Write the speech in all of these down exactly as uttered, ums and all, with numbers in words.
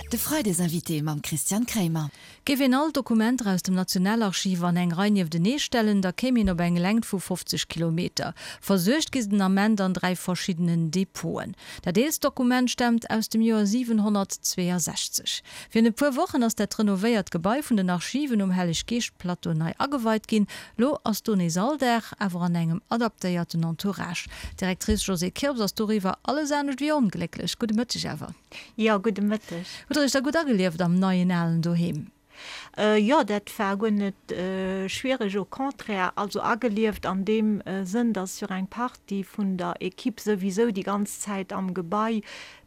De Freidesinvité mam Christian Kremer. Géif een all d'Dokumenter aus dem Nationalarchiv an eng Rei nieftenee stellen, da kéim een op eng Längt vu fofzeg Kilometer. Versuergt gi se den Ament an dräi verschiddenen Depoten. Dat eelst Dokument staamt aus dem Joer siwenhonnertzweeasechzeg. Virun e puer Wochen ass dat renovéiert Gebai vun den Archiven um Helleg-Geescht-Plateau nei ageweit ginn. Lo ass do nees Alldag, awer an engem adaptéierten Entourage. D'Directrice Josée Kirps ass doriwwer alles anescht wéi onglécklech. Gudde Mëtteg awer. Jo, gudde Mëtteg. Hutt Der Iech da gutt agelieft am neien alen Doheem? Jo, dat war guer net schwiereg, au contraire. Also agelieft an deem Sënn, dass jo eng Partie vun der Equipe souwisou déi ganz Zäit am Gebai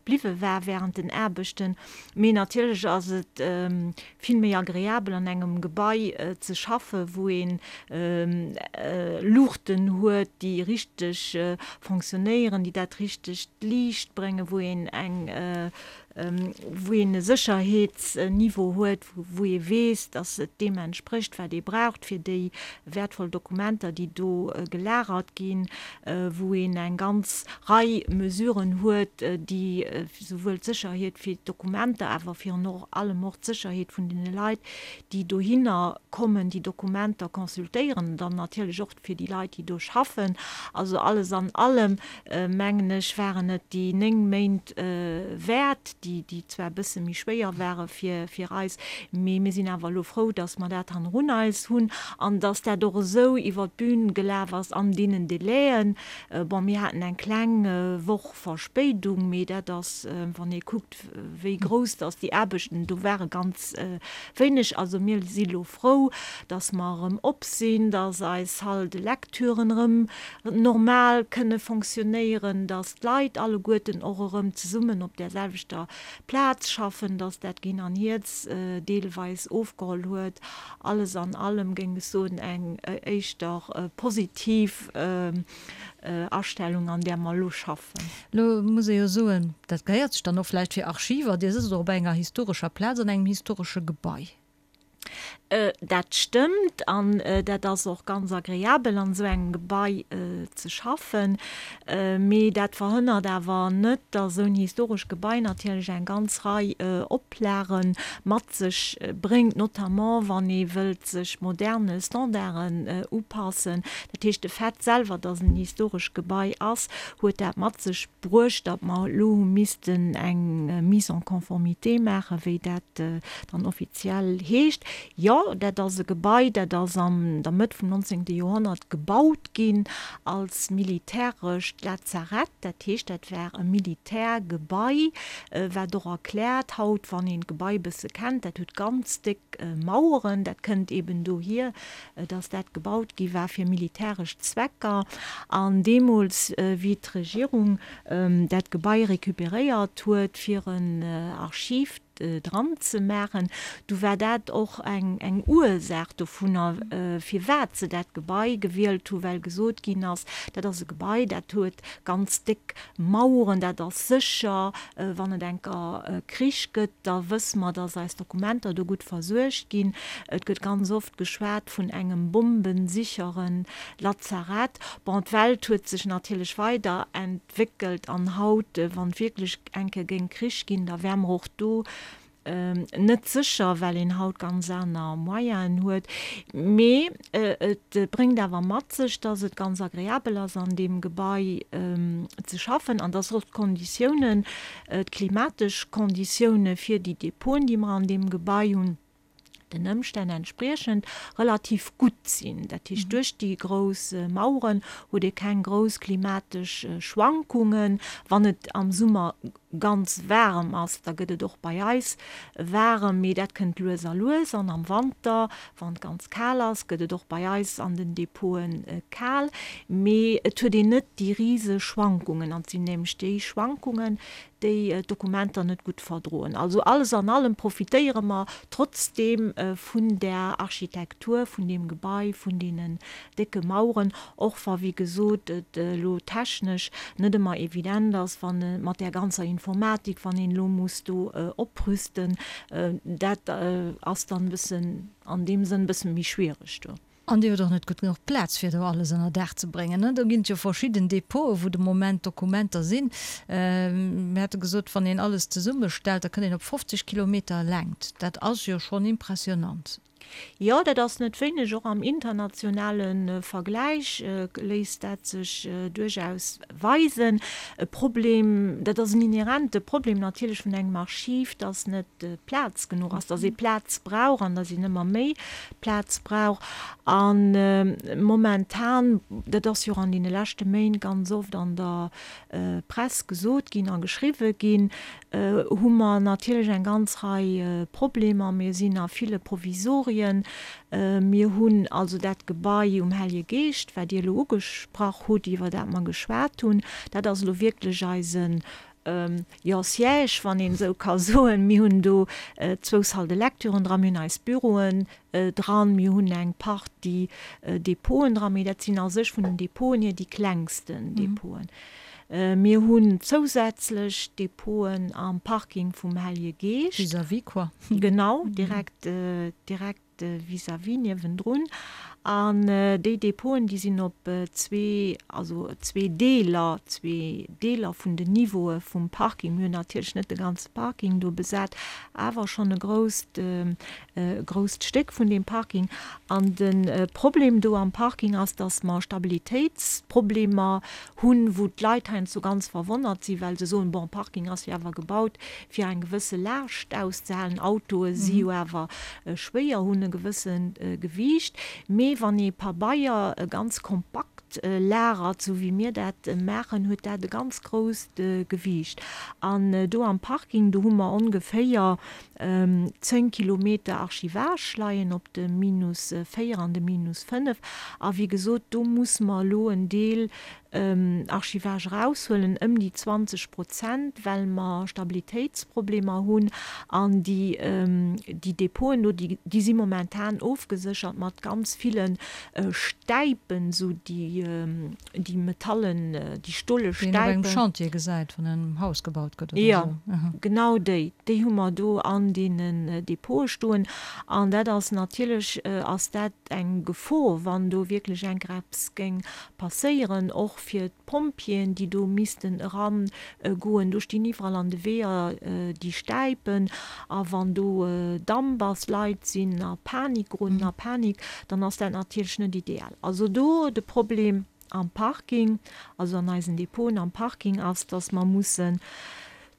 bliwwe war während den Aarbechten. Mee natierlech ass et vill méi agreabel an engem Gebai ze schaffe wou een Luuchten huet, déi richteg fonctionnéieren, déi dat richtegt Liicht bréngen, wou een eng wou een e Sécherheetsniveau huet, wou ee weess, dass et deem entsprécht, wat ee braucht fir déi wäertvoll Dokumenter, déi do gelagert ginn, wou een eng ganz Rei Mesuren huet, déi souwuel d'Sécherheet fir d'Dokumenter, awer virun allem och d'Sécherheet vun deene Leit, déi dohinner kommen, déi Dokumenter consultéieren, an dann natierlech och fir déi Leit, déi do schaffen. Also alles an allem, mengen ech, waren et déi néng Méint wäert, déi, déi zwar e bësse méi schwéier ware fir, fir eis, mee mir sinn awer elo frou, dass mer dat hannerun eis hunn an dass dat och esou iwwert d'Bün gelaf ass an deenen Délaiën. Bon, mir haten eng kleng Woch Verspéidung, mee dat ass, wann ee kuckt, wéi grouss dass déi Aarbechten do waren, ganz wéineg. Also mir si lo frou, dass mer erëm op sinn, dass eis Salle de lecturen erëm normal kënne fonctionnéieren, dass d'Leit alleguerten och erëm zesummen op där selwechter Plaz schaffen, dass dat Ginn an Hierz deelweis ofgeholl huet. Alles an allem géing ech soen, eng éischter positiv Astellung, an där mer elo schaffen. Elo muss ee jo soen, dat gehéiert sech dann och vläicht fir Archiver, Dir sëtzt och op enger historescher Plaz an engem historesche Gebai. Dat stëmmt an dat ass och ganz agreabel an esou engem Gebai ze schaffen. Mee dat verhënnert awer net, datt esou en historescht Gebai natierlech eng ganz Rei Oplage mat sech bréngt, notamment wann ee wëllt sech moderne Standarden upassen. Dat heescht, de Fait selwer, datt en historescht Gebai ass, huet dat mat sech bruecht, datt mer elo hu missten eng Mise en conformité maachen, wéi dat dann offiziell heescht. Jo, dat ass e Gebai, dat ass an der Mëtt vum nonzéngte Joerhonnert gebaut ginn als militärescht Lazarett. Dat heescht, dat war e Militärgebai, wat och erkläert haut, wann een d'Gebai e bësse kennt, dat huet ganz déck Maueren. Dat kënnt eben dohier, dass dat gebaut gi war fir militäresch Zwecker. An deemools, wéi d'Regierung dat Gebai recuperéiert huet, fir en Archiv dran ze maachen, du war dat och eng eng Ursaach dovunner, firwat se dat Gebai gewielt hu, well gesot ginn ass, dat ass e Gebai, dat huet ganz déck Maueren, dat ass sécher, wann et enker Krich gëtt, da wësse mer, dass eis Dokumenter do gutt versuergt ginn. Et gëtt ganz oft geschwat vun engem bombensicheren Lazarett. Bon, d'Welt huet sech natierlech weider entwéckelt an haut, wann et wierklech eng Kéier géing Krich ginn, da wäre mer och do net sécher, well een haut ganz aner Moyenen huet. Mee et bréngt awer mat sech, dass et ganz agreabel ass, an deem Gebai ze schaffen an dass och d'Konditiounen, d'klimatesch Konditioune fir déi Depoten, déi mer an deem Gebai hunn, den Ëmstänn entspriechend relativ gutt sinn. Dat heescht, duerch déi grouss Maueren huet ee keng grouss klimatesch Schwankungen. Wann et am Summer ganz waarem ass, da gëtt et och bei eis waarem, mee dat kënnt lues a lues. An am Wanter, wann et ganz kal ass, gëtt et och bei eis an den Depote kal, mee et huet een net déi rise Schwankungen. An et sinn nämlech déi Schwankungen, déi d'Dokumenter net gutt verdroen. Also alles an allem profitéiere mer trotzdeem vun där Architektur vun deem Gebai, vun deenen décke Maueren, och wa wéi gesot et elo technesch net ëmmer evident ass, wann mat där ganzer Informatik, wann een elo muss do oprüsten, dat ass dann e bëssen an deem Sënn e bësse méi schwiereg do. An Dir hutt och net gutt genuch Plaz, fir do alles ënner Daach ze bréngen, ne? Do ginn et jo verschidden Depoten, wou de Moment Dokumenter sinn. Mir hate gesot, wann een alles zesummestellt, da kënnt een op fofzeg Kilometer Längt. Dat ass jo schonn impressionant. Jo, dat ass net wéineg. Och am internationale Vergläich léisst dat sech duerchaus weisen. E Problem, dat ass en inhärente Problem natierlech vun engem Archiv, dass net Plaz genuch ass, dass ee Plaz brauch an dass een ëmmer méi Plaz brauch. A momentan, dat ass jo och an deene leschte Méint ganz oft an der Press gesot ginn a geschriwwe ginn, hu mer natierlech eng ganz Rei Problemer. Mir sinn a ville Provisorien. Mir hunn also dat Gebai um Hellege Geescht, wat Dir elo ugesprach hutt, iwwer dat mer geschwat hunn. Dat ass elo wierklech eisen, jo, Siège, wann een esou ka soen. Mir hunn do zwou Salles de lecturen dran, mir hunn eis Büroen dran, mir hunn eng Partie Depoten dran, mee dat sinn a sech vun den Depoten hier déi klengsten Depoten. Mir hunn zousätzlech Depoten am Parking vum Hellege Geescht. Vis-à-vis quoi. Genau, direkt, direkt vis-à-vis, niewendrun. An déi Depoten, déi sinn op zwee, also zwee Deeler, zwee Deeler vun den Niveaue vum Parking. Mir hunn natierlech net de ganze Parking do besat, awer schonn e grousst, e grousst Stéck vun deem Parking. An de Problem do am Parking ass, dass mer Stabilitéitsproblemer hunn, wou d'Leit heiansdo ganz verwonnert sinn, well se soen, bon, Parking ass jo awer gebaut, fir eng gewësse Laascht auszehalen, Autoe si jo awer schwéier, hunn e gewësse Gewiicht. Mee wann ee Pabeier ganz kompakt lagert, sou wéi mir dat maachen, huet dat e ganz grousst Gewiicht. An do am Parking, do hu mer ongeféier zéng Kilometer Archivage leien op de Minus véier an de Minus fënnef. A wéi gesot, do musse mer elo en Deel Archivage eraushuelen, ëm déi zwanzeg Prozent, well mer Stabilitéitsproblemer hunn. An déi, déi Depoten do, déi, déi si momentan ofgeséchert mat ganz ville Stäipen, esou déi, déi metallen, déi stole Déi een op engem Chantier gesäit, wann en Haus gebaut gëtt oder esou. Jo, genau déi. Déi hu mer do an deenen Depote stoen. An dat ass natierlech, ass dat eng Gefor, wann do wierklech enk eppes géing passéieren, och fir d'Pompjeeën, déi do missten eragoen. Do stinn iwwerall an de Weeër déi Stäipen. A wann do Damp ass, Leit sinn a Panik, geroden a Panik, dann ass dat natierlech net ideal. Also do de Problem am Parking, also an eisen Depoten am Parking ass, dass mer mussen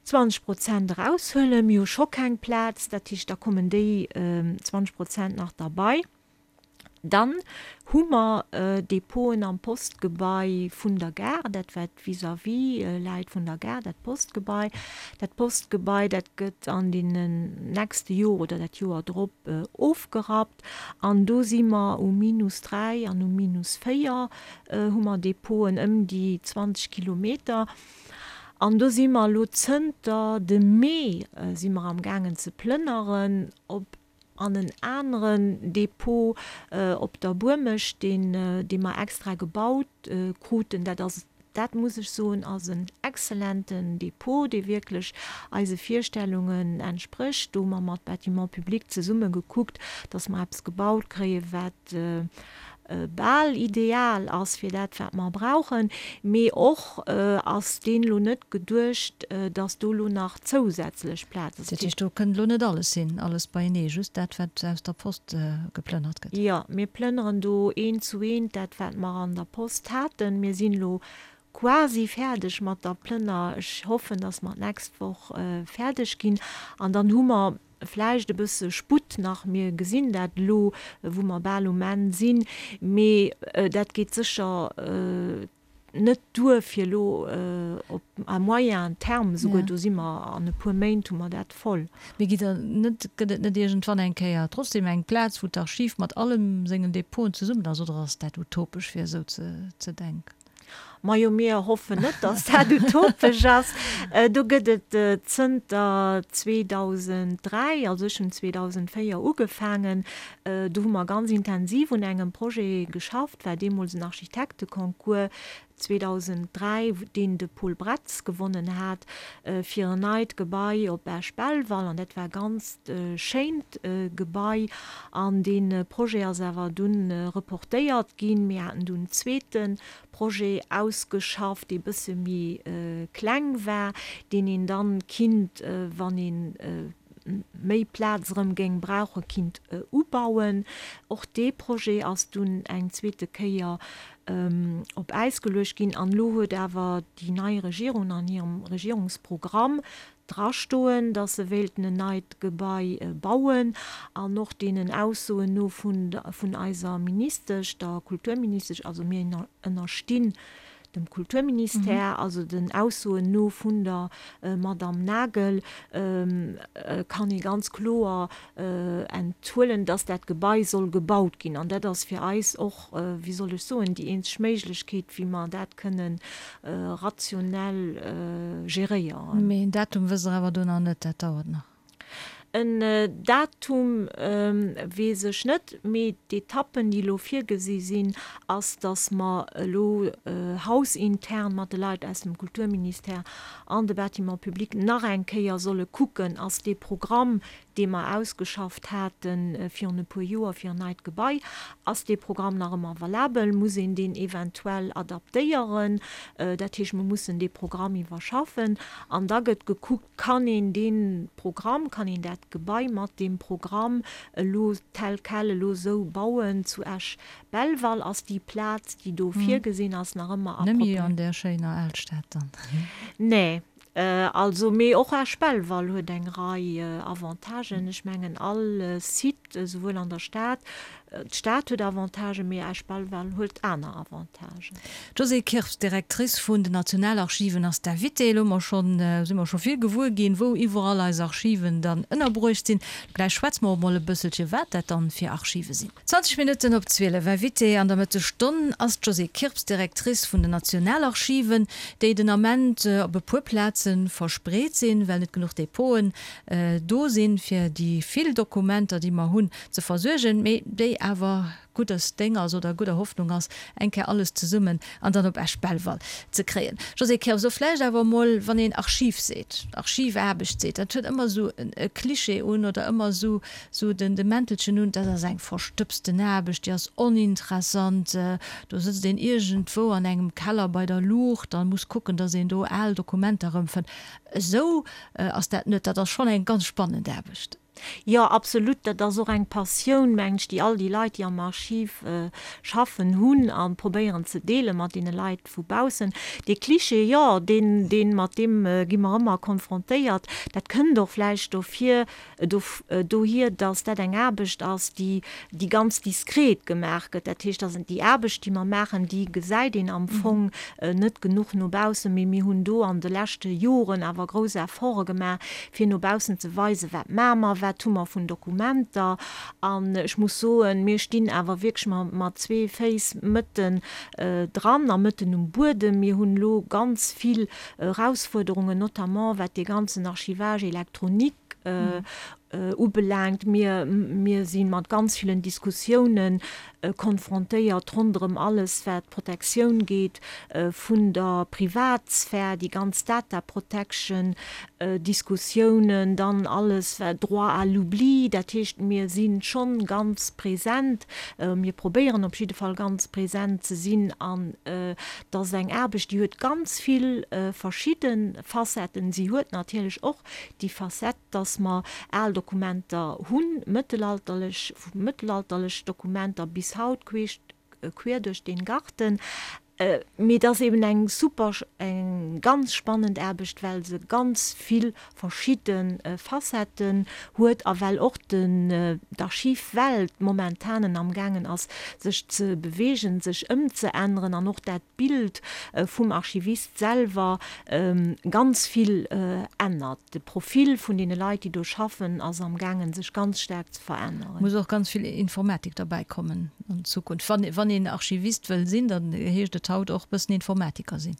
zwanzeg Prozent eraushuelen. Mir hu scho keng Plaz, dat heescht, da kommen déi zwanzeg Prozent nach derbei. Dann hu mer Depoten am Postgebai vun der Gare, dat wat vis-à-vis läit vun der Gare, dat Postgebai. Dat Postgebai, dat gëtt an deenen nächste Joer oder dat Joer drop ofgerappt. An do si mer um Minus dräi an um Minus véier hu mer Depoten, ëm déi zwanzeg Kilometer. An do si mer elo zënter dem Mee si mer amgaangen ze plënneren op an en aneren Depot op der Buermecht, deen, dee mer extra gebaut kruten. Dat ass, dat muss ech soen, ass en exzellenten Depot, dee wierklech eise Virstellungen entsprécht. Do hu mer mat Bâtiments publics zesumme gekuckt, dass mer eppes gebaut kréien, wat bal ideal ass fir dat, wat mer brauchen. Mee och ass deen elo net geduecht, dass do elo nach zousätzlech Plaz ass. Dat heescht, do kënnt elo net alles hin, alles beienee, just dat, wat aus der Post geplënnert gëtt? Jo, mir plënneren do eent zu eent dat, wat mer an der Post haten. Mir sinn elo quasi fäerdeg mat der Plënner. Ech hoffen, dass mer d'nächst Woch fäerdeg ginn. An dann hu mer vläicht e bësse Sputt nach. Mir gesinn dat elo, wou mer bal um Enn sinn. Mee dat geet sécher net duer fir elo op à moyen terme esouguer. Do si mer an e puer Méint hu mer dat voll. Mee gitt Der net, gëtt et net iergendwann eng Kéier trotzdem eng Plaz, wou d'Archiv mat allem sengen Depoten zesummen ass, oder ass dat utopesch fir esou ze denken? Majo, mir hoffen net, datt dat utopesch ass. Do gëtt et zënter zweedausenddräi, also ech hunn zweedausendvéier ugefaangen, do hu mer ganz intensiv un engem Projet geschafft, war deemools en Architekteconcours, zweedausenddräi, deen de Paul Bretz gewonnen hat, fir en neit Gebai op Esch-Belval. An dat war e ganzt schéint Gebai. An dee Projet ass awer dunn reportéiert ginn. Mir haten dunn en zweete Projet ausgeschafft, dee bësse méi kleng war, deen een dann kinnt, wann een méi Plaz erëm géing brauchen, kinnt ubauen. Och dee Projet ass dunn eng zweete Kéier op Äis geluecht ginn. An elo huet awer déi nei Regierung an hirem Regierungsprogramm drastoen, datt se wéilten en neit Gebai bauen. An och deenen Aussoen no vun eiser Ministesch, der Kulturministesch, also mir ënnerstinn dem Kulturministère, also den Aussoen no vun der Madamm Nagel, kann ee ganz kloer enthuelen, dass dat Gebai soll gebaut ginn. An dat ass fir eis och, wéi soll ech soen, déi eenzeg Méiglechkeet, wéi mer dat kënnen rationell geréieren. Mee en Datum wësst Der awer do nach net, dat dauert nach. En Datum weess ech net, mee d'Etappen, déi elo virgesi sinn, ass, datt mer elo hausintern mat de Leit aus dem Kulturministère an de Bâtiments publics nach eng Kéier solle kucken, ass dee Programm, dee mer ausgeschafft hate virun e puer Joer fir en neit Gebai, ass dee Programm nach ëmmer valabel, muss een deen eventuell adaptéieren? Dat heescht, mer mussen dee Programm iwwerschaffen an da gëtt gekuckt, Kann een dee Programm, kann een dat Gebai mat deem Programm elo tel quel elo esou bauen zu Esch-Belval? Ass déi Plaz, déi do virgesinn ass, nach ëmmer approprié? Net méi an där schéiner Alstad dann? Nee, also, mee och Esch-Belval huet eng Rei Avantagen. Ech mengen, all Site, esouwuel an der Stad, D'Stad huet Avantagen, mee Esch-Belval huet aner Avantagen. D'Josée Kirps, Directrice vun den Nationalarchiven, ass d'Invitée. Elo hu mer schonn, si mer scho vill gewuer ginn, wou iwwerall eis Archiven dann ënnerbruecht sinn. Gläich schwätze mer och mol e bësselche wat dat dann fir Archive sinn. Zwanzeg Minutten op zwielef. Invitée an der Mëttesstonn ass d'Josée Kirps, Directrice vun den Nationalarchiven, déi den Ament op e puer Plaze verspreet sinn, well net genuch Depoten do sinn, fir déi vill Dokumenter, déi mer hunn, ze versuergen, mee déi awer guddes Déng ass oder gudder Hoffnung ass, eng Kéier alles zesummen an dann op Esch-Belval ze kréien. Josée Kirps, so vläicht awer emol, wann een Archiv seet, Archivaarbecht seet, dat huet ëmmer esou e Klischee un oder ëmmer esou esou den de Mäntelchen un, dat ass eng verstëbsten Aarbecht, déi ass oninteressant, do sëtzt een iergendwou an engem Keller bei der Luucht a muss kucken, datt een do al Dokumenter erëmfënnt. Esou ass dat net, dat ass schonn eng ganz spannend Aarbecht. Jo, absolut. Dat ass och eng Passioun, mengen ech, déi all déi Leit, déi am Archiv schaffen, hunn a probéieren ze deele mat deene Leit vu baussen. Dee Klischee, jo, deen, deen, mat deem gi mer ëmmer konfrontéiert. Dat kënnt och vläicht dofir, dohier, datt dat eng Aarbecht ass, déi, déi ganz diskret gemaach gëtt. Dat heescht, datt déi Aarbecht, déi mer maachen, déi gesäit een am Fong net genuch no baussen. Mee mir hunn do an de leschte Joren awer grouss Efforte gemaach, fir no baussen ze weisen, wat maache mer, wat hu mer vun Dokumenter. An ech muss soen, mir stinn awer wierklech mat zwee Féiss mëtten dran a mëtten um Buedem. Mir hunn elo ganz vill Erausfuerderungen, notamment wat dee ganzen Archivage électronique ubelaangt. Mir, mir si mat ganz villen Diskussiounen konfrontéiert ronderëm alles, wat d'Protektioun geet vun der Privatsphär, déi ganz Data Protection Diskussiounen, dann alles wat Droit à l'oubli, dat heescht, mir si schonn ganz present, mir probéieren op jidde Fall ganz present ze sinn an et ass eng Aarbecht, déi huet ganz vill verschidde Facetten. Si huet natierlech och déi Facette, dass mer al Dokumenter hunn, mëttelalterlech, vu mëttelalterlech Dokumenter bis haut, queesch, quer durch den Garten. Mee et ass eben eng super, eng ganz spannend Aarbecht, well se ganz vill verschidde Facetten huet a well och den, d'Archivwelt momentanen amgaangen ass, sech ze beweegen, sech ëmzeänneren an och dat Bild vum Archivist selwer ganz vill ännert. De Profil vun deene Leit, déi do schaffen, ass amgaangen, sech ganz staark ze veränneren. Muss och ganz vill Informatik derbäi kommen an Zukunft. Wann, wann een Archivist wëll sinn, dann heescht et haut och bëssen Informatiker sinn.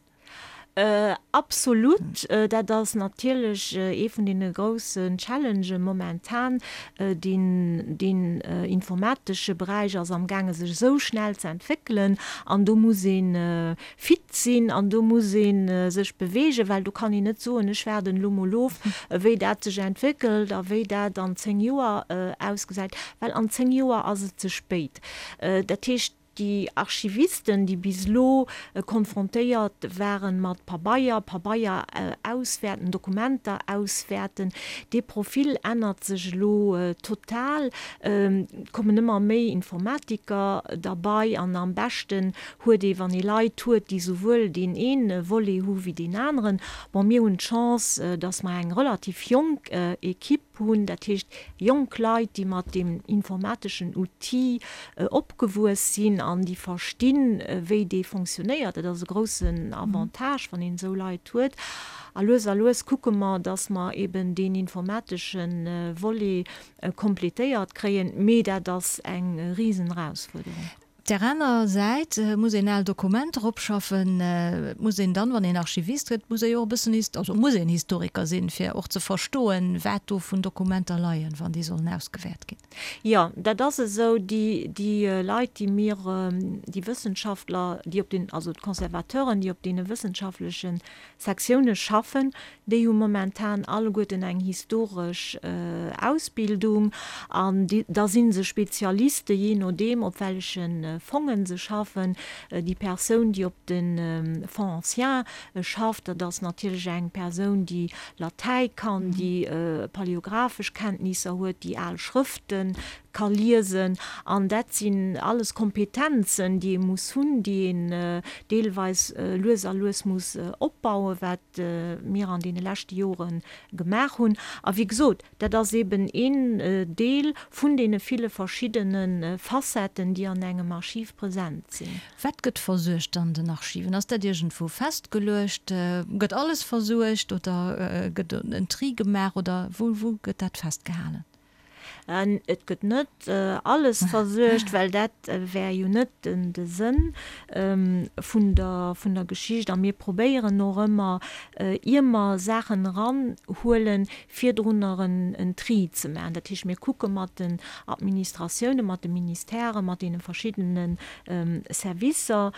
Absolut, dat ass natierlech ee vun deene groussen Challengen momentan. Deen, deen informatesche Beräich ass amgaange sech esou schnell ze entwéckelen an do muss ee fit sinn an do muss ee sech beweegen, well do kann een net soen, ech waarden elo mol of, wéi dat sech entwéckelt a wéi dat an zéng Joer ausgesäit, well an zéng Joer ass et ze spéit. Dat heescht, déi Archivisten, déi bis elo konfrontéiert ware mat Pabeier, Pabeier auswäerten, Dokumenter auswäerten, dee Profil ännert sech elo total. Et kommen ëmmer méi Informatiker derbei an am beschten huet ee, wann ee Leit huet, déi souwuel deen ee Volet hu wéi deen aneren. Bon, mir hunn d'Chance, datt mer eng relativ jonk Equipe hunn, dat heescht jonk Leit, déi mat deem informateschen Outil opgewuess sinn an déi verstinn, wéi dee fonctionnéiert. Dat ass e groussen Avantage, wann een esou Leit huet. A lues a lues kucke mer, dass mer eben deen informatesche Volet completéiert kréien, mee dat ass eng Risenerausfuerderung. Op där aner Säit muss een al Dokumenter opschaffen. Et muss een dann, wann een Archivist gëtt, muss ee jo och e bëssen, also muss een Historiker sinn, fir och ze verstoen, wat do vun Dokumenter leien, wann déi sollen ausgewäert ginn. Jo, dat ass esou. Déi, déi Leit, déi mir, déi Wëssenschaftler, déi op den, also d'Conservateuren, déi op deene wëssenschaftleche Sektioune schaffen, déi hu momentan alleguerten eng historesch Ausbildung an da si se Spezialiste jee nodeem, op welleche Fongen se schaffen. Déi Persoun, déi op de Fonds anciens schafft, dat ass natierlech eng Persoun, déi Latäi kann, déi paläographesch Kenntnisser huet, déi al Schrëfte ka liesen. An dat sinn alles Kompetenzen, déi ee muss hunn, déi een deelweis lues a lues muss opbauen, wat mir an deene leschte Jore gemaach hunn. A wéi gesot, dat ass eeben een Deel vun deene ville verschiddene Facetten, déi an engem Archiv present sinn. Wat gëtt versuergt an den Archiven? Ass dat iergendwou festgeluecht? Gëtt alles versuergt oder gëtt en Tri gemaach oder wou wou gëtt dat festgehalen? Et gëtt net alles versuergt, well dat wär jo net de Sënn vun der vun der Geschicht. A mir probéieren och ëmmer, ier mer Saachen eranhuelen, virdrunner en Tri ze maachen. Dat heescht, mir kucke mat den Administratiounen, mat de Ministèren, mat deene verschiddene Servicer,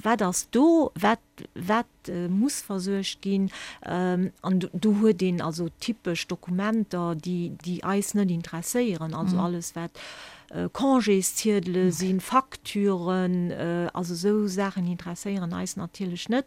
wat ass do, wat wat muss versuergt ginn. An do huet een also typesch Dokumenter, déi, déi eis net interesséieren, also alles wat Congésziedele sinn, Facturen, also esou Saachen interesséieren eis natierlech net.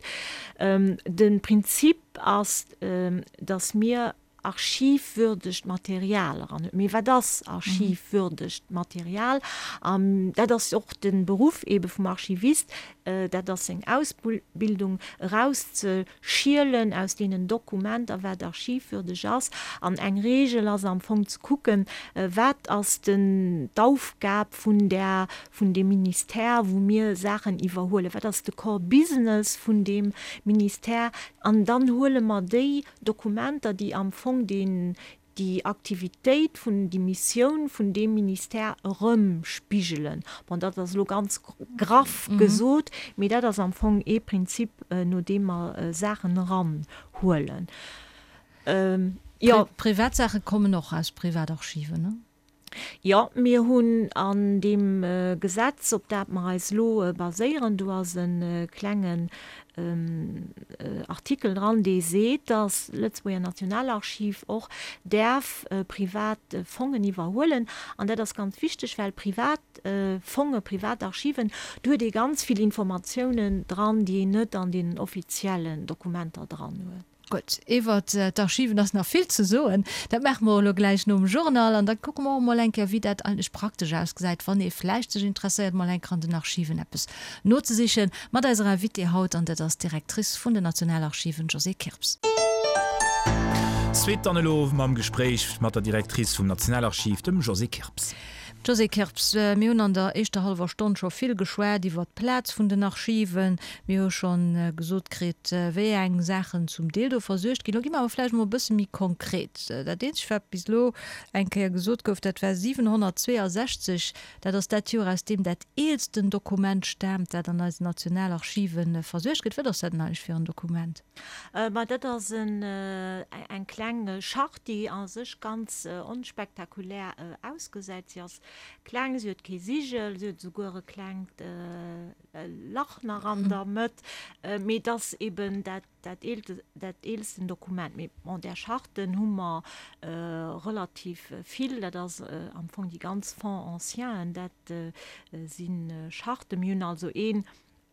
De Prinzip ass, datt mir archivwürdegt Material eran huet. Mee wat ass archivwürdegt Material? An dat ass och de Beruff eebe vum Archivist, dat ass seng Ausbildung, erauszeschielen aus deenen Dokumenter, wat archivwürdeg ass. An eng Reegel ass am Fong ze kucken, wat ass den d'Aufgab vun där, vun deem Ministère, wou mir Saachen iwwerhuelen, wat ass de Core Business vun deem Ministère? An dann huele mer déi Dokumenter, déi am Fong deen, déi Aktivitéit vun, déi Missioun vun deem Ministère erëmspigelen. Bon, dat ass elo ganz graff gesot, mee dat ass am Fong ee Prinzip, no deem mer Saachen eranhuelen. Jo. Privatsaache kommen och aus Privatarchiven, ne? Jo, mir hunn an deem Gesetz, op dat mer eis elo baséieren, do ass e klengen Artikel dran, dee seet, dass d'Lëtzebuerger Nationalarchiv och däerf privat Fongen iwwerhuelen. An dat ass ganz wichteg, well privat Fongen, privat Archiven, do huet ee ganz vill Informatiounen dran, déi een net an deenen offiziellen Dokumenter dran huet. Gutt, iwwert d'Archiven ass nach vill ze soen. Dat maache mer elo gläich nom Journal an da kucke mer och emol eng Kéier, wéi dat eigentlech praktesch ausgesäit, wann ee vläicht sech interesséiert, mol eng Kéier an den Archiven eppes nozesichen. Mat eiser Invitée haut, an dat ass d'Directrice vun den Nationalarchiven, Josée Kirps. Suite dann elo mam Gespréich mat der Directrice vum Nationalarchiv, dem Josée Kirps. Josée Kirps, mir hunn an der éischter hallwer Stonn scho vill geschwat iwwert d'Plaz vun den Archiven. Mir hu scho gesot kritt, wéi eng Saachen zum Deel do versuergt ginn. Lo gi mer awer vläicht emol e bësse méi konkret. Dat eenzegt, wat bis elo eng Kéier gesot gouf, dat war siwenhonnertzweeasechzeg. Dat ass dat Joer, aus deem dat eelsten Dokument staamt, dat an eisen Nationalarchive versuergt gëtt. Wat ass dat denn eigentlech fir en Dokument? Ma dat ass eng kleng Charte, déi a sech ganz onspektakulär ausgesäit. Si ass kleng, si huet kee Sigel, si huet esouguer e klengt Lach nach an der Mëtt, mee et ass eben dat dat eelsten Dokument. Mee bon, där Charten hu mer relativ vill, dat ass am Fong déi ganz Fonds anciens, dat si Charten. Mir hunn also een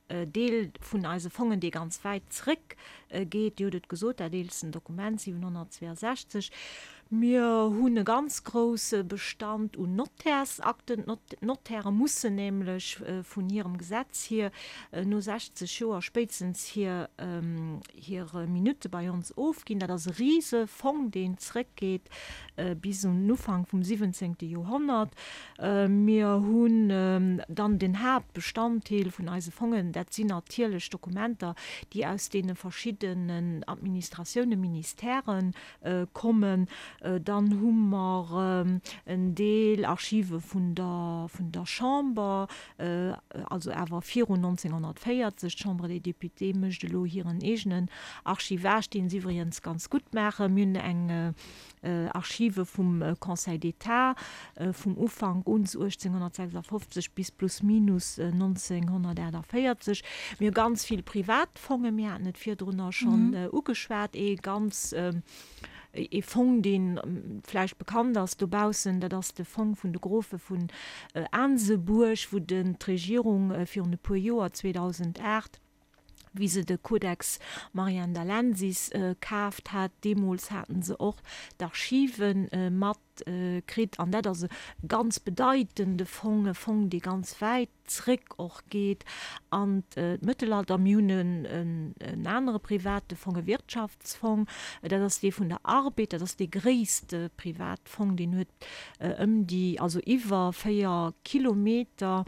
Deel vun eise Fongen, dee ganz wäit zréck geet, Dir hutt et gesot, dat eelsten Dokument, siwenhonnertzweeasechzeg. Mir hunn e ganz grousse Bestand un Nottärsakten. D'Nottäre mussen nämlech vun hirem Gesetz hier no sechzeg Joer spéitstens hir hir Minutte bei ons ofginn. Dat ass e rise Fong, deen zréckgeet bis un den Ufank vum siwwenzéngte Joerhonnert. Mir hunn dann den Haaptbestanddeel vun eise Fongen, dat sinn natierlech Dokumenter, déi aus deene verschiddenen Administratiounen, Ministèren kommen. Dann hu mer en Deel Archive vun der vun der Chamber, also awer virun nonzénghonnertvéierzeg. D'Chambre des Députés mécht elo hiren eegenen Archivage, deen se iwwregens ganz gutt maachen. Mir hunn eng Archive vum Conseil d'État vum Ufank un, uechtzénghonnertsechsafofzeg bis plus minus nonzénghonnertaachtavéierzeg. Mir hu ganz vill Privatfongen, mir haten et virdrunner schonn ugeschwat, ee ganz Ee Fong, dee vläicht bekannt ass dobaussen, dat ass de Fong vun de Grofe vun Aansebuerg, wou den d'Regierung virun e puer Joer, zweedausendacht, wéi se de Codex Mariendalensis kaaft hat, deemools haten se och d'Archive mat kritt. An dat ass e ganz bedeitende Fong, e Fong, dee ganz wäit zréck och geet an d'Mëttelalter. Mir hunn en anere private Fong, e Wirtschaftsfong, dat ass dee vun der Arbed, dat ass dee gréisste Privatfong, deen huet ëm déi, also iwwer véier Kilometer,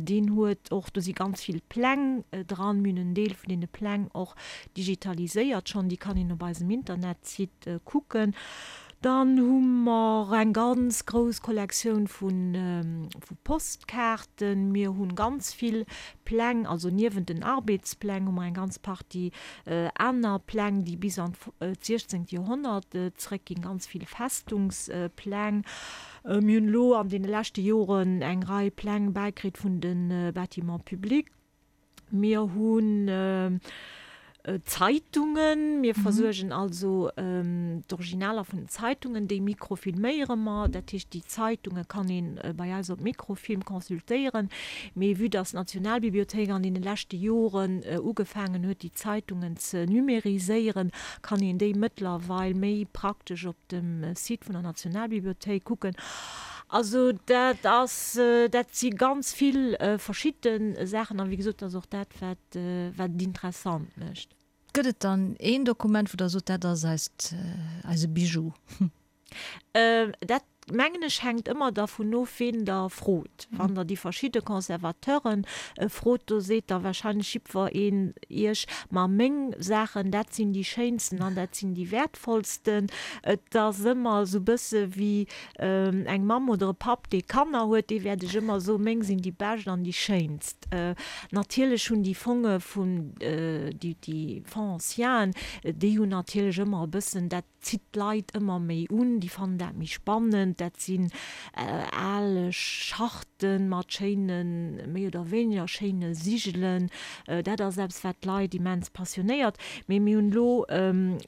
deen huet och, do si ganz vill Pläng dran, mir hunn en Deel vun deene Pläng och digitaliséiert schonn, déi kann een op eisem Internetsite kucken. Dann hu mer eng ganz grouss Kollektioun vu Postkaarten. Mir hu ganz vill Pläng, also niewent den Arbeedspläng hu mer eng ganz Partie aner Pläng, déi bis an d'siechzéngt Joerhonnert zréckginn, ganz vill Festungspläng. Mir hunn elo an deene leschte Joren eng Rei Pläng bäikritt vun de Bâtiments publics. Mir hunn Zeitungen, mir versuergen also d'Originaler vun den Zeitungen, déi mikrofilméiere mer. Dat heescht, déi Zeitunge kann ee bei eis op Mikrofilm consultéieren. Mee vue dass d'Nationalbibliothéik an deene leschte Joren ugefaangen huet, déi Zeitungen ze numériséieren, kann een déi mëttlerweil méi praktesch op dem Site vun der Nationalbibliothéik kucken. Also dat ass, dat si ganz vill verschidde Saachen a wéi gesot, dat ass och dat, wat wat et interessant mécht. Gëtt et dann een Dokument, wou Der sot, dat ass eist, eise Bijou? Dat mengen ech hänkt ëmmer dervun of, ween Der frot. Wann Der déi verschidde Conservateure frot, do seet da wahrscheinlech jiddwer een Iech, ma meng Saachen, dat sinn déi schéinsten an dat sinn déi wäertvollsten. Et ass ëmmer esou e bësse wéi eng Mamm oder e Papp, dee Kanner huet, dee wäert ech ëmmer soen, meng sinn déi bescht an déi schéinst. Natierlech hunn déi Fonge vun, déi Fonds anciens, déi hunn natierlech ëmmer e bëssen dat, zitt d'Leit ëmmer méi un, déi fannen dat méi spannend. Dat sinn al Charten mat schéinen, méi oder wéineger schéine Sigelen. Dat ass eppes, wat d'Leit immens passionéiert. Mee mir hunn elo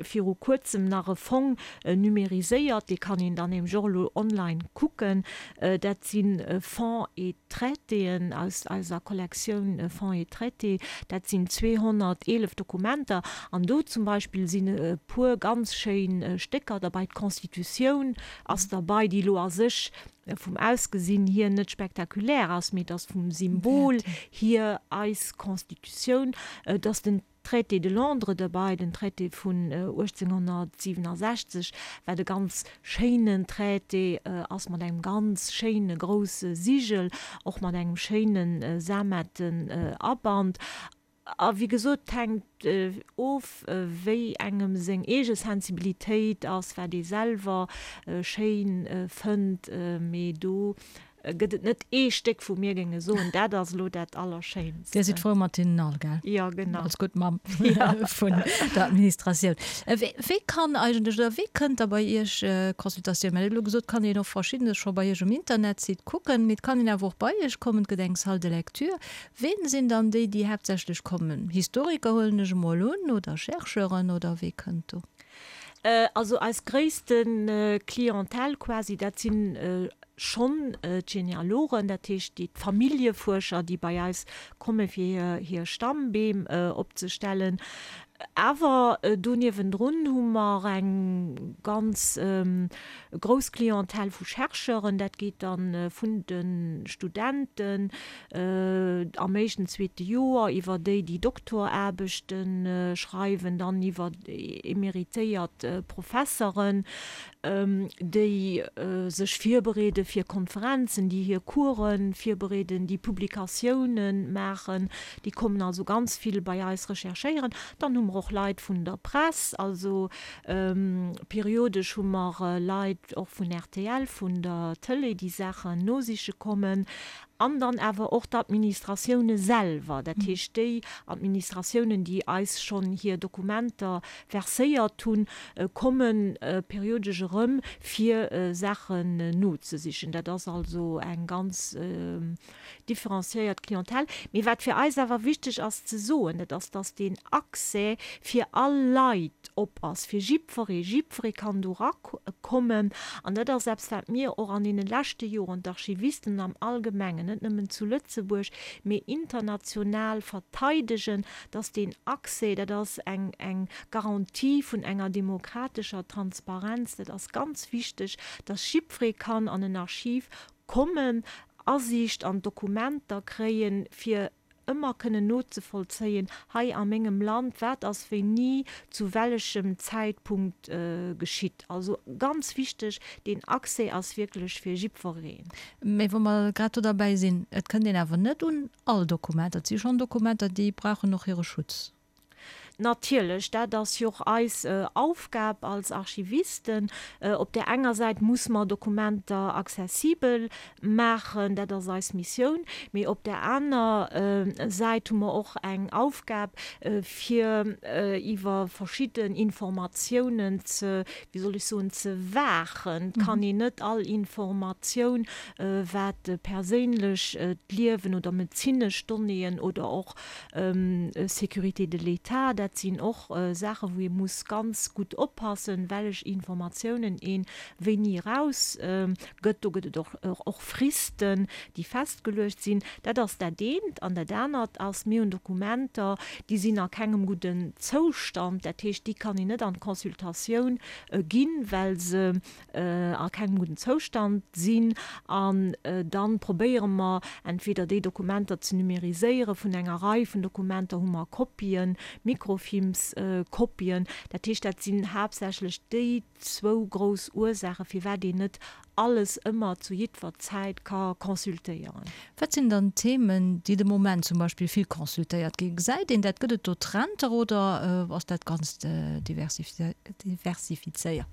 viru Kuerzem nach e Fong numériséiert, dee kann een dann nämlech och elo online kucken. Dat si Fonds et Traitéen aus eiser Kollektioun Fonds et Traités. Dat sinn zweehonnerteelef Dokumenter an do zum Beispill sinn e puer ganz schéin Stécker derbei. D'Constitutioun ass derbei, déi elo a sech vum Ausgesinn hier net spektakulär ass, mee et ass vum Symbol hier eis Constitutioun. Et ass den Traité de Londres derbäi, den Traité vun uechtzénghonnertsiwenasechzeg, wat e ganz schéinen Traité ass mat engem ganz schéine grousse Sigel, och mat engem schéine sametten Aband. A wéi gesot, et hänkt of, wéi engem seng eege Sensibilitéit ass, wat ee selwer schéin fënnt. Mee do gëtt et net ee Stéck, wou mir géinge soen, dat ass elo dat Allerschéinst. Dir sidd frou mat hinnen all, gell? Jo, genau. Als gutt Mamm vun der Administratioun. Wéi kann eigentlech oder wéi kënnt da bei Iech Consultatioun? Mir hunn elo gesot, et kann een och Verschiddenes scho bei Iech um Internetsite kucken, mee et kann een awer och bei Iech kommen, et gëtt eng Salle de lecture. Ween sinn dann déi, déi haaptsächlech kommen? Historiker huelen ech emol un oder Chercheuren oder wee kënnt do? Also eis gréisste Clientèle quasi, dat si schonn d'Genealogen, dat heescht déi d'Familljefuerscher, déi bei eis komme fir hir Stammbeem opzestellen. Awer do niewendrun hu mer eng ganz grouss Clientèle vu Chercheuren. Dat geet da vun de Studenten am éischten, zweete Joer iwwer déi, déi Doktoraarbechte schreiwen, dann iwwer emeritéiert Professeren, déi sech virbereede fir Konferenzen, déi hir Course virbereeden, déi Publikatioune maachen. Déi kommen also ganz vill bei eis recherchéieren. Dann hu mer och Leit vun der Press, also periodesch hu mer Leit och vun rtl, vun der Tëlee, déi Saachen nosiche kommen. An dann awer och d'Administratioune selwer, dat heescht déi Administratiounen, déi eis schonn hir Dokumenter verséiert hunn, komme periodesch erëm, fir Saachen nozesichen. Dat ass also eng ganz differenciéiert Clientèle. Mee wat fir eis awer wichteg ass ze soen, dat ass, dass deen Accès fir all Leit op ass, fir jiddweree. Jiddweree kann do erakommen. An dat ass eppes, wat mir och an deene leschte Joren, d'Archivisten am Allgemengen, net nëmmen zu Lëtzebuerg, mee international verteidegen, dass deen Accès, dat ass eng, eng Garantie vun enger demokratescher Transparenz, dat ass ganz wichteg, dass jiddweree kann an en Archiv kommen, Asiicht an d'Dokumenter kréien, fir ëmmer kënnen nozevollzéien, hei a mengem Land, wat ass wéini, zu wellechem Zäitpunkt geschitt. Also ganz wichteg, deen Accès ass wierklech fir jiddwereen. Mä wa mer grad do derbäi sinn, et kënnt een awer net un all Dokumenter. Et si schonn Dokumenter, déi brauchen och hire Schutz. Natierlech, dat ass jo och eis Aufgab als Archivisten. Op där enger Säit muss mer Dokumenter accessibel maachen, dat ass eis Missioun, mee op där aner Säit hu mer och eng Aufgab, fir iwwer verschidden Informatiounen ze, wéi soll ech soen, ze waachen. Et kann een net all Informatioun, wat perséinlech d'Liewen oder medezinesch Donnéeën oder och Sécurité de l'État, dat sinn och Saachen, wou ee muss ganz gutt oppassen, wellech Informatiounen ee wéini eraus gëtt. Do gëtt et och Fristen, déi festgeluecht sinn. Dat ass dat eent. An dat anert ass, mir hunn Dokumenter, déi sinn a kengem gudden Zoustand. Dat heescht, déi kann een net an d'Consultatioun ginn, well se a kengem gudden Zoustand sinn. An da probéiere mer entweder déi Dokumenter ze numériséieren, vun enger Rei vun Dokumenter hu mer Kopien, Microfilmskopien. Dat heescht, dat sinn haaptsächlech déi zwou grouss Ursaachen, firwat een net alles ëmmer zu jiddwer Zäit ka consultéieren. Wat sinn dann d'Themen, déi de Moment zum Beispill vill consultéiert ginn? Gesäit een dat? Gëtt et do Trender oder ass dat Ganzt diversifizéiert?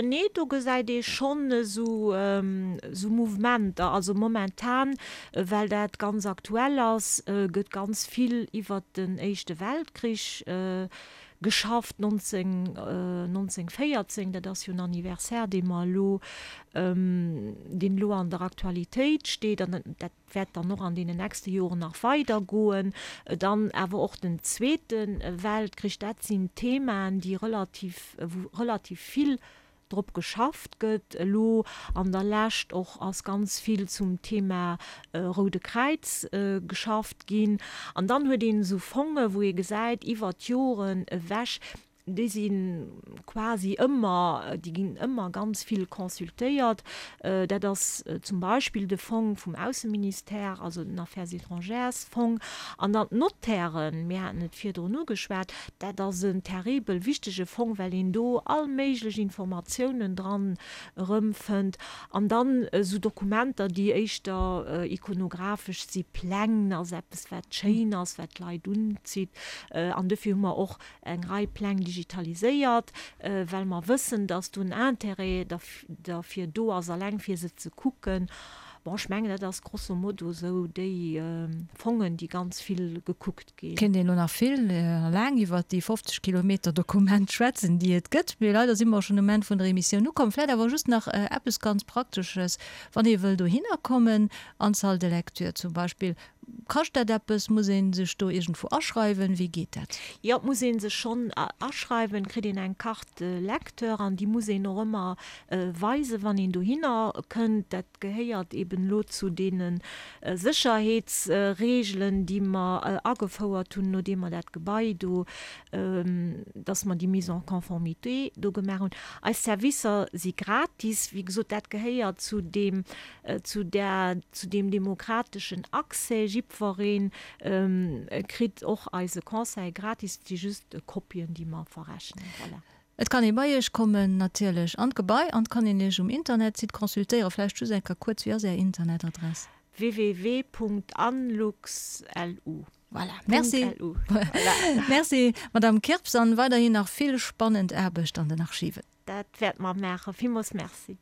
Nee, do gesäit ee schonn esou Mouvementer. Also momentan, well dat ganz aktuell ass, gëtt ganz vill iwwert den Éischte Weltkrich geschafft, nonzénghonnertvéierzéng, dat ass jo en Anniversaire, dee mer elo, deen elo an der Aktualitéit steet an dat wäert dann och an deenen nächste Joren nach weidergoen. Dann awer och den Zweete Weltkrich, dat sinn Themaen, déi relativ, wou relativ vill drop geschafft gëtt. Elo an der Lescht och ass ganz vill zum Thema Roude Kräiz geschafft ginn. An dann huet een esou Fonge wou ee gesäit iwwert d'Joren ewech, Déi si quasi ëmmer, déi ginn ëmmer ganz vill consultéiert. Dat ass zum Beispill de Fong vum Ausseministère, also den Affaires étrangères-Fong. An dann d'Notairen, mir haten et virdrun ugeschwat, dat ass en terribel wichtege Fong, well een do all méiglech Informatiounen dran erëmfënnt. An dann esou Dokumenter, déi éischter ikonographesch si, Pläng ass eppes, wat schéin ass, wat d'Leit unzitt. An dofir hu mer och eng Rei Pläng digitaliséiert, well mer wëssen, dass do en Intérêt derfir do ass, alleng fir se ze kucken. Bon, ech mengen, dat ass grosso modo esou déi Fongen, déi ganz vill gekuckt ginn. Kéint een elo nach vill a laang iwwert déi fofzeg Kilometer Dokument schwätzen, déi et gëtt, mee leider si mer schonn um Enn vun der Emissioun ukomm. Vläicht awer just nach eppes ganz Praktesches, Wann ee wëll dohinner kommen, an d'Salle de lecture zum Beispill, Kascht dat eppes? Muss ee sech do iergendwou aschreiwen? Wéi geet dat? Jo, et muss ee sech schonn aschreiwen. Et kritt een eng Carte lecteur an déi muss een och ëmmer weisen, wann een dohinner kënnt. Dat gehéiert eben elo zu deene Sécherheetsreegelen, déi mer agefouert hunn, nodeem mer dat Gebai do, dass mer déi Mise en conformité do gemaach hunn. Eis Servicer si gratis. Wéi gesot, dat gehéiert zu deem, zu där, zu deem demokrateschen Accès. Jiddweree kritt och eise Conseil gratis. Et si just Kopien, déi mer verrechnen. Voilà. Et kann ee bei Iech kommen natierlech an d'Gebai an et kann een Iech um Internetsite consultéieren. Vläicht just eng Kéier kuerz, wéi ass Är Internetadress? www.anlux.lu. Voilà, merci. Merci, Madamm Kirps, an weiderhin nach vill spannend Aarbecht an den Archiven. Dat wäerte mer maachen. Villmools Merci.